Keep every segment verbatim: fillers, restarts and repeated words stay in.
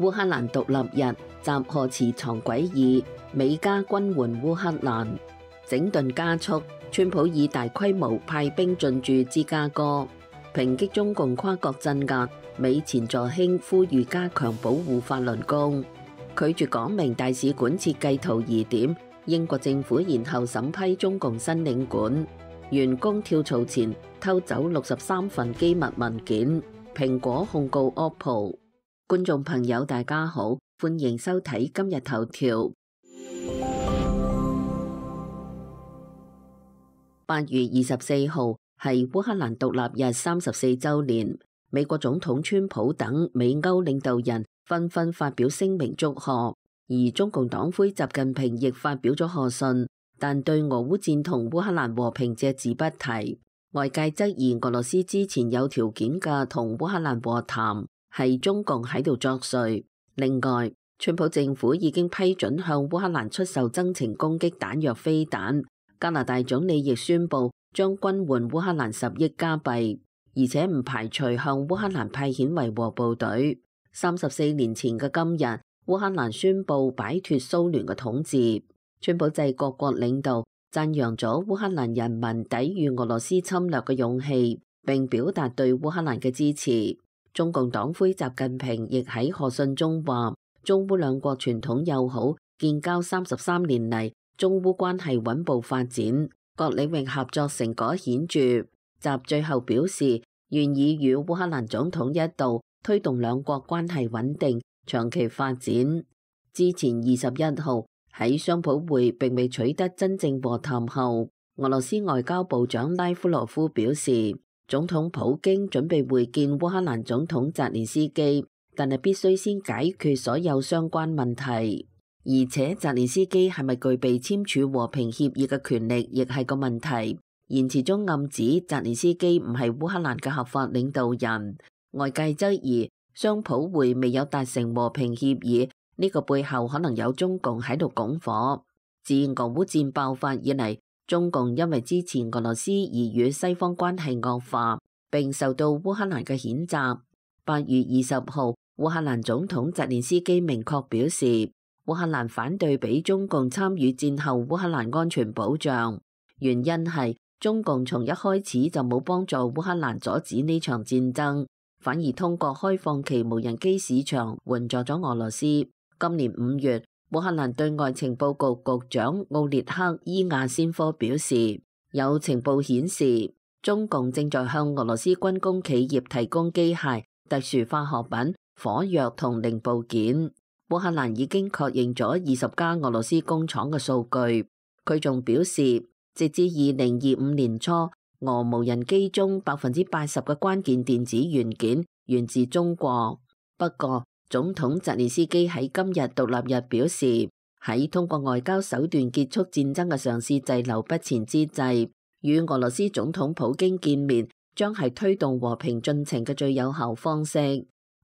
烏克蘭獨立日，集荷池藏詭異，美加軍援烏克蘭，整頓加速。川普以大規模派兵進駐芝加哥，抨擊中共跨國鎮壓。美前助卿呼籲加強保護法輪功，拒絕講明大使館設計圖疑點。英國政府延後審批中共新領館，員工跳槽前偷走六十三份機密文件。蘋果控告 O P P O。觀眾朋友大家好，歡迎收睇今日頭條。八月二十四號係烏克蘭獨立日三十四周年，美國總統川普等美歐領導人紛紛發表聲明祝賀，而中共黨魁習近平亦發表咗賀信，但對俄烏戰同烏克蘭和平隻字不提。外界質疑俄羅斯之前有條件嘅同烏克蘭和談係中共喺度作祟。另外，川普政府已經批准向烏克蘭出售增程攻擊彈藥飛彈。加拿大總理亦宣布將軍援烏克蘭十億加幣，而且唔排除向烏克蘭派遣維和部隊。三十四年前嘅今日，烏克蘭宣布擺脫蘇聯嘅統治。川普制各國領導讚揚咗烏克蘭人民抵禦俄羅斯侵略嘅勇氣，並表達對烏克蘭嘅支持。中共黨魁習近平亦喺賀信中話，中烏兩國傳統友好，建交三十三年嚟，中烏關係穩步發展，各領域合作成果顯著。習最後表示，願意與烏克蘭總統一道推動兩國關係穩定、長期發展。之前二十一號喺雙普會並未取得真正和談後，俄羅斯外交部長拉夫羅夫表示，總統普京準備會見烏克蘭總統澤連斯基，但係必須先解決所有相關問題。而且澤連斯基係咪具備簽署和平協議嘅權力，亦係個問題。言辭中暗指澤連斯基唔係烏克蘭嘅合法領導人。外界質疑雙普會未有達成和平協議，呢個背後可能有中共喺度拱火。自俄烏戰爆發以嚟，中共因為支持俄羅斯而與西方關係惡化，並受到烏克蘭嘅譴責。八月二十號，烏克蘭總統澤連斯基明確表示，烏克蘭反對俾中共參與戰後烏克蘭安全保障，原因係中共從一開始就冇幫助烏克蘭阻止呢場戰爭，反而通過開放其無人機市場援助咗俄羅斯。今年五月，烏克蘭對外情報局局長奧列克伊亞先科表示，有情報顯示中共正在向俄羅斯軍工企業提供機械、特殊化學品、火藥同零部件。烏克蘭已經確認咗二十家俄羅斯工廠嘅數據。佢仲表示，直至二零二五年初，俄無人機中百分之八十嘅關鍵電子元件源自中國。不過，總統澤連斯基喺今日獨立日表示，喺通過外交手段結束戰爭嘅嘗試滯留不前之際，與俄羅斯總統普京見面將係推動和平進程嘅最有效方式。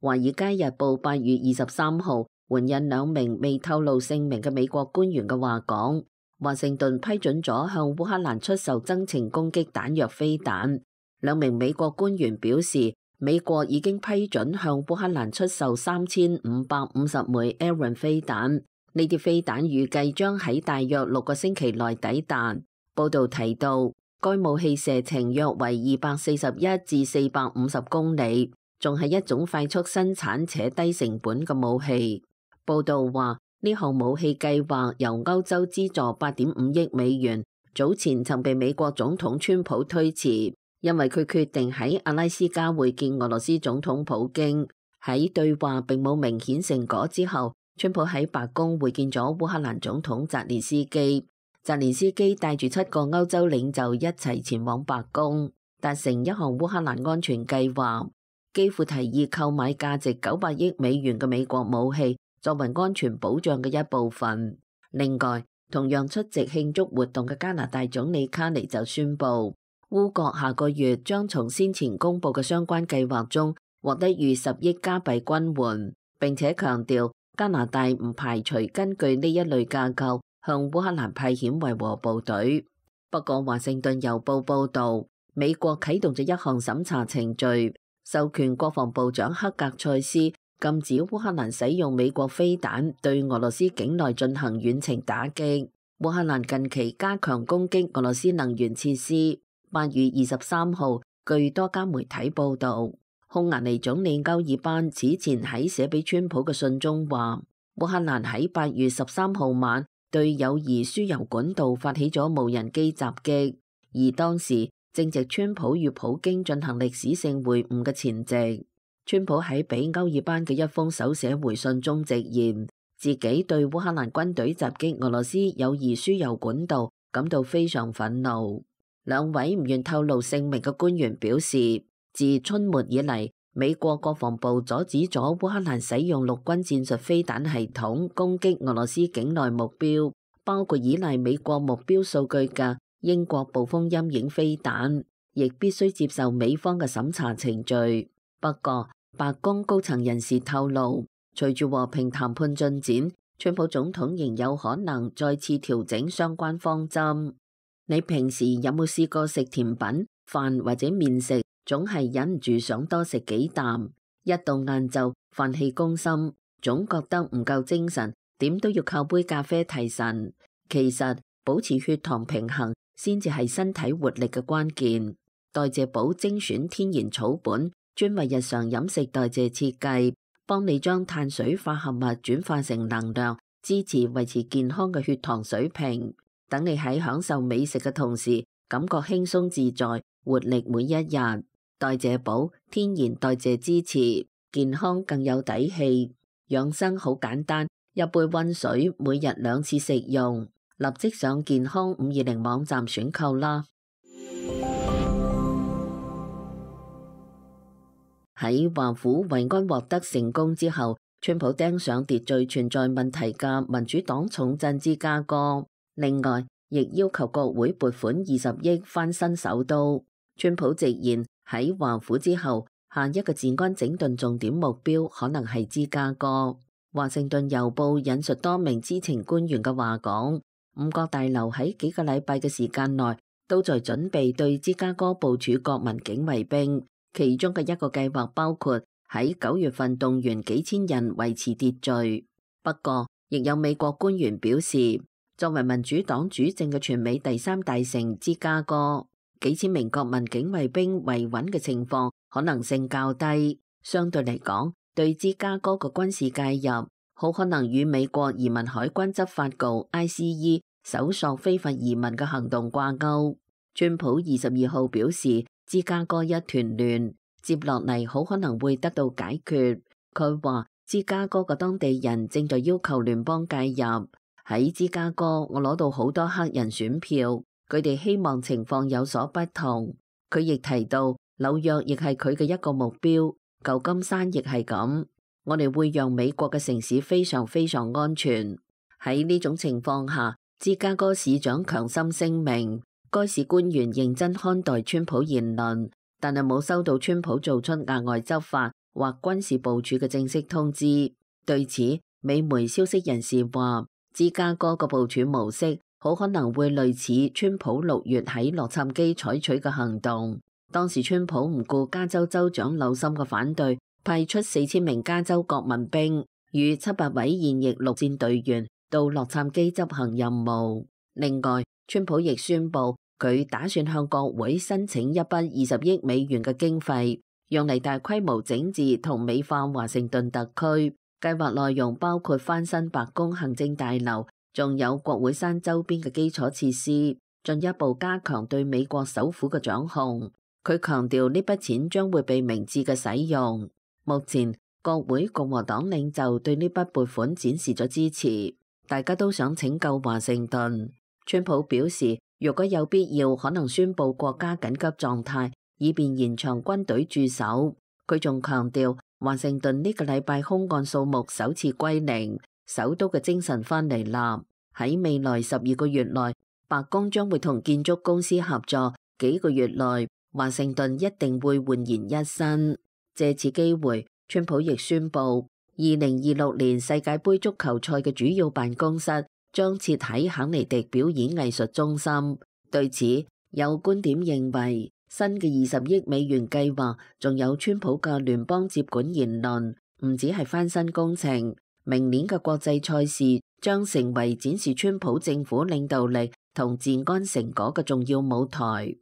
華爾街日報八月二十三號援引兩名未透露姓名嘅美國官員嘅話講，華盛頓批准咗向烏克蘭出售增程攻擊彈藥飛彈。兩名美國官員表示，美國已經批准向烏克蘭出售三千五百五十枚 Abrams 飛彈，呢啲飛彈預計將喺大約六個星期內抵達。報道提到，該武器射程約為二百四十一至四百五十公里，仲係一種快速生產且低成本嘅武器。報道話，呢項武器計劃由歐洲資助八點五億美元，早前曾被美國總統川普推遲，因為佢決定喺阿拉斯加會見俄羅斯總統普京。喺對話並冇明顯成果之後，川普喺白宮會見咗烏克蘭總統澤連斯基。澤連斯基帶住七個歐洲領袖一齊前往白宮，達成一項烏克蘭安全計劃。基輔提議購買價值九百億美元嘅美國武器，作為安全保障嘅一部分。另外，同樣出席慶祝活動嘅加拿大總理卡尼就宣布，烏國下個月將從先前公布嘅相關計劃中獲得逾十億加幣軍援，並且強調加拿大唔排除根據呢一類架構向烏克蘭派遣維和部隊。不過，華盛頓郵報報導，美國啟動咗一項審查程序，授權國防部長克格塞斯禁止烏克蘭使用美國飛彈對俄羅斯境內進行遠程打擊。烏克蘭近期加強攻擊俄羅斯能源設施。八月二十三號，據多家媒體報導，匈牙利總理歐爾班此前喺寫俾川普嘅信中話，烏克蘭喺八月十三號晚對友誼輸油管道發起咗無人機襲擊，而當時正值川普與普京進行歷史性會晤嘅前夕。川普喺俾歐爾班嘅一封手寫回信中直言，自己對烏克蘭軍隊襲擊俄羅斯友誼輸油管道感到非常憤怒。兩位唔願透露姓名嘅官員表示，自春末以嚟，美國國防部阻止咗烏克蘭使用陸軍戰術飛彈系統攻擊俄羅斯境內目標，包括依賴美國目標數據嘅英國暴風陰影飛彈，亦必須接受美方嘅審查程序。不過，白宮高層人士透露，隨住和平談判進展，川普總統仍有可能再次調整相關方針。你平時有冇試過食甜品、飯或者麵食，總係忍唔住想多食幾啖？一到晏晝，飯氣攻心，總覺得唔夠精神，點都要靠杯咖啡提神。其實保持血糖平衡先至係身體活力嘅關鍵。代謝寶精選天然草本，專為日常飲食代謝設計，幫你將碳水化合物轉化成能量，支持維持健康嘅血糖水平。等你喺享受美食嘅同時，感覺輕鬆自在，活力每一日。代謝寶天然代謝支持，健康更有底氣。養生好簡單，一杯溫水，每日兩次食用。立即上健康五二零網站選購啦！喺華府維安獲得成功之後，川普盯上秩序存在問題嘅民主黨重鎮芝加哥。另外，亦要求國會撥款二十億翻新首都。川普直言喺華府之後，下一個治安整頓重點目標可能係芝加哥。華盛頓郵報引述多名知情官員嘅話講，五角大樓喺幾個禮拜嘅時間內都在準備對芝加哥部署國民警衛兵，其中嘅一個計劃包括喺九月份動員幾千人維持秩序。不過，亦有美國官員表示，作為民主黨主政嘅全美第三大城芝加哥，幾千名國民警衛兵維穩嘅情況可能性較低。相對嚟講，對芝加哥嘅軍事介入，好可能與美國移民海關執法局 I C E 搜索非法移民嘅行動掛鈎。川普二十二號表示，芝加哥一團亂，接落嚟好可能會得到解決。佢話芝加哥嘅當地人正在要求聯邦介入。喺芝加哥，我攞到好多黑人選票，佢哋希望情況有所不同。佢亦提到紐約亦係佢嘅一個目標，舊金山亦係咁。我哋會讓美國嘅城市非常非常安全。喺呢種情況下，芝加哥市長強心聲明，該市官員認真看待川普言論，但係冇收到川普做出額外執法或軍事部署嘅正式通知。對此，美媒消息人士話，芝加哥嘅部署模式好可能會類似川普六月喺洛杉磯採取嘅行動。當時川普唔顧加州州長紐森嘅反對，派出四千名加州國民兵與七百位現役陸戰隊員到洛杉磯執行任務。另外，川普亦宣布佢打算向國會申請一筆二十億美元嘅經費，用嚟大規模整治同美化華盛頓特區。計劃內容包括翻新白宮行政大樓，仲有國會山周邊嘅基礎設施，進一步加強對美國首府嘅掌控。佢強調呢筆錢將會被明智嘅使用。目前國會共和黨領袖對呢筆撥款展示咗支持，大家都想拯救華盛頓。川普表示，如果有必要，可能宣布國家緊急狀態，以便延長軍隊駐守。佢仲強調，華盛頓呢個禮拜凶案數目首次歸零，首都嘅精神翻嚟啦。喺未來十二個月內，白宮將會同建築公司合作，幾個月內華盛頓一定會煥然一新。借此機會，川普亦宣布，二零二六年世界盃足球賽嘅主要辦公室將設喺肯尼迪表演藝術中心。對此，有觀點認為，新嘅二十億美元計劃，仲有川普嘅聯邦接管言論，唔止係翻新工程，明年嘅國際賽事將成為展示川普政府領導力同治安成果嘅重要舞台。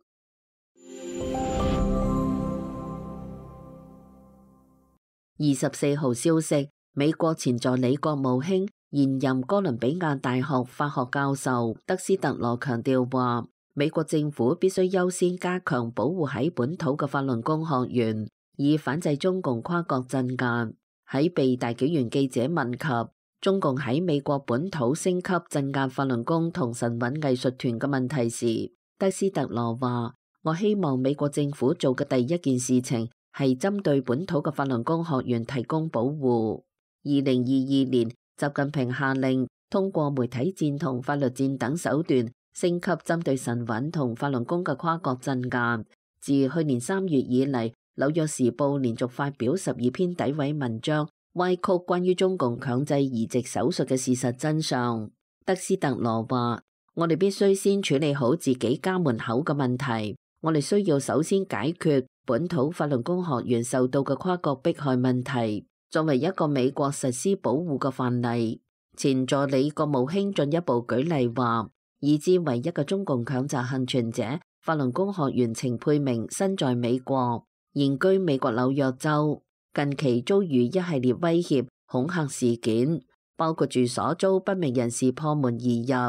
二十四號消息，美國前助理國務卿、現任哥倫比亞大學法學教授德斯特羅強調話，美國政府必須優先加強保護喺本土嘅法輪功學員，以反制中共跨國鎮壓。喺被大紀元記者問及中共喺美國本土升級鎮壓法輪功同神韻藝術團嘅問題時，德斯特羅話：我希望美國政府做嘅第一件事情係針對本土嘅法輪功學員提供保護。二零二二年，習近平下令通過媒體戰同法律戰等手段升級針對神韻同法輪功嘅跨國鎮壓。自去年三月以嚟，紐約時報連續發表十二篇詆毀文章，歪曲關於中共強制移植手術嘅事實真相。德斯特羅話：我哋必須先處理好自己家門口嘅問題，我哋需要首先解決本土法輪功學員受到嘅跨國迫害問題。作為一個美國實施保護嘅範例，前助理國務卿進一步舉例話，已知唯一嘅中共強襲倖存者法輪功學員程佩明身在美國，現居美國紐約州，近期遭遇一系列威脅恐嚇事件，包括住所遭不明人士破門而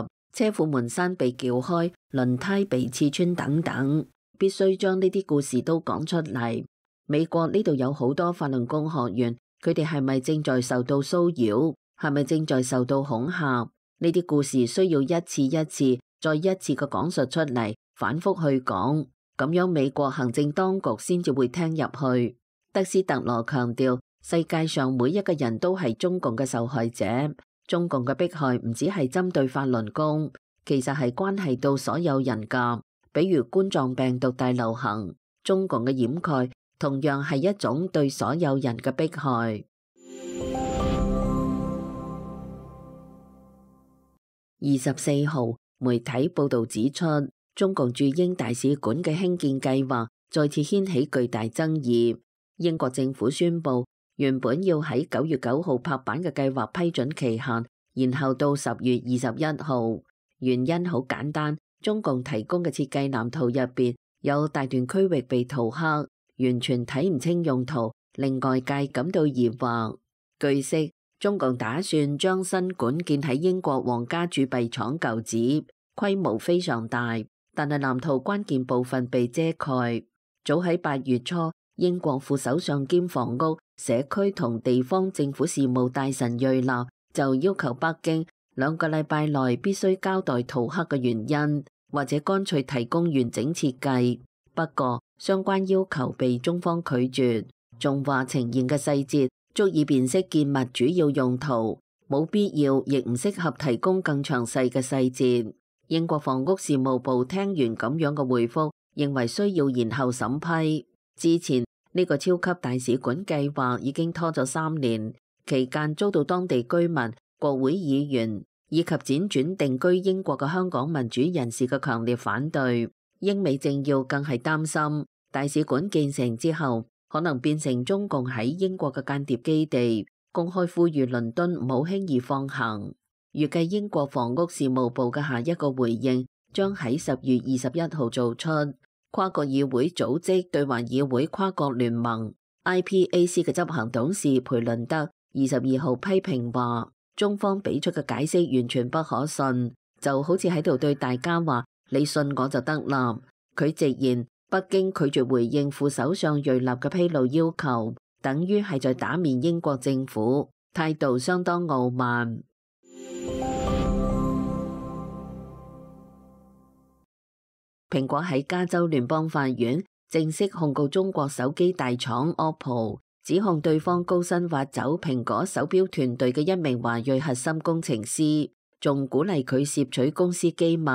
入、車庫門閂被撬開、輪胎被刺穿等等，必須將呢啲故事都講出嚟。美國呢度有好多法輪功學員。佢哋係咪正在受到騷擾？係咪正在受到恐嚇？呢啲故事需要一次一次、再一次嘅講述出嚟，反覆去講，咁樣美國行政當局先至會聽入去。德斯特羅強調，世界上每一個人都係中共嘅受害者，中共嘅迫害唔只係針對法輪功，其實係關係到所有人㗎。比如冠狀病毒大流行，中共嘅掩蓋同樣係一種對所有人嘅迫害。二十四號，媒體報導指出，中共駐英大使館嘅興建計劃再次掀起巨大爭議。英國政府宣布，原本要喺九月九號拍板嘅計劃批准期限，延後到十月二十一號。原因好簡單，中共提供嘅設計藍圖入邊有大段區域被塗黑，完全睇唔清用途，令外界感到疑惑。據悉，中共打算將新館建喺英國皇家鑄幣廠舊址，規模非常大，但係藍圖關鍵部分被遮蓋。早喺八月初，英國副首相兼房屋、社區同地方政府事務大臣瑞納就要求北京兩個禮拜內必須交代塗黑嘅原因，或者乾脆提供完整設計。不過，相關要求被中方拒絕，仲話呈現嘅細節足以辨識建物主要用途，冇必要亦唔適合提供更詳細嘅細節。英國房屋事務部聽完咁樣嘅回覆，認為需要延後審批。之前呢個超級大使館計劃已經拖咗三年，期間遭到當地居民、國會議員以及輾轉定居英國嘅香港民主人士嘅強烈反對。英美政要更係擔心大使館建成之後，可能變成中共喺英國嘅間諜基地，公開呼籲倫敦唔好輕易放行。預計英國房屋事務部嘅下一個回應將喺十月二十一號做出。跨國議會組織對華議會跨國聯盟 I P A C 嘅執行董事培倫德二十二號批評話，中方俾出嘅解釋完全不可信，就好似喺度對大家話你信我就得啦。佢直言，北京拒絕回應副首相瑞納嘅披露要求，等於係在打面英國政府，態度相當傲慢。蘋果喺加州聯邦法院正式控告中國手機大廠 O P P O， 指控對方高薪挖走蘋果手錶團隊嘅一名華裔核心工程師，仲鼓勵佢竊取公司機密。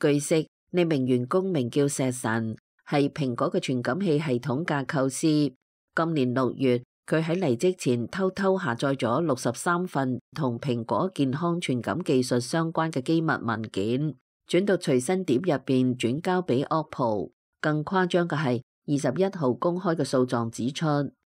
據悉，呢名員工名叫石神，係蘋果嘅傳感器系統架構師。今年六月，佢喺離職前偷偷下載咗六十三份同蘋果健康傳感技術相關嘅機密文件，轉到隨身碟入邊轉交俾 O P P O。更誇張嘅係，二十一號公開嘅訴狀指出，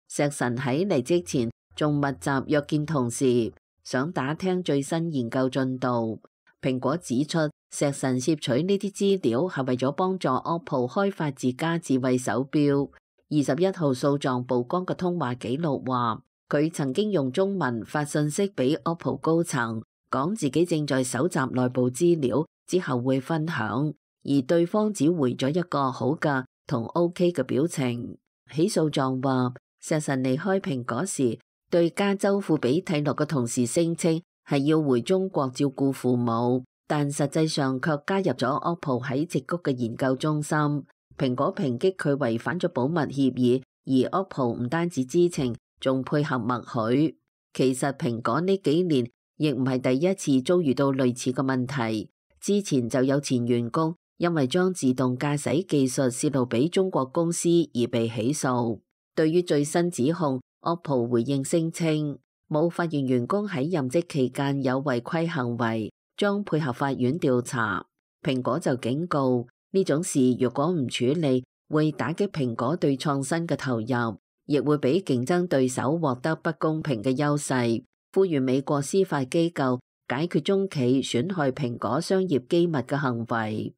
石神喺離職前仲密集約見同事，想打聽最新研究進度。蘋果指出，石神攝取呢啲資料係為咗幫助 O P P O 開發自家智慧手錶。二十一號訴狀曝光嘅通話記錄話，佢曾經用中文發信息俾 O P P O 高層，講自己正在搜集內部資料，之後會分享，而對方只回咗一個好嘅同 OK 嘅表情。起訴狀話，石神離開蘋果時，對加州庫比蒂諾嘅同事聲稱係要回中國照顧父母，但實際上卻加入咗 O P P O 喺矽谷嘅研究中心。蘋果抨擊佢違反咗保密協議，而 O P P O 唔單止知情，仲配合默許。其實蘋果呢幾年亦唔係第一次遭遇到類似嘅問題，之前就有前員工因為將自動駕駛技術泄露俾中國公司而被起訴。對於最新指控， O P P O 回應聲稱冇發現員工喺任職期間有違規行為，將配合法院調查。蘋果就警告，呢種事如果唔處理，會打擊蘋果對創新嘅投入，亦會俾競爭對手獲得不公平嘅優勢。呼籲美國司法機構解決中企損害蘋果商業機密嘅行為。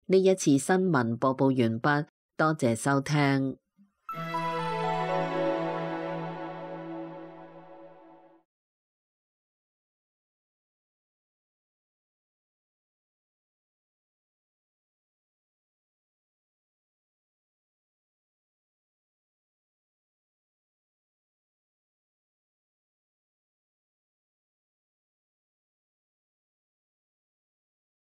呢一次新聞播報完畢，多謝收聽。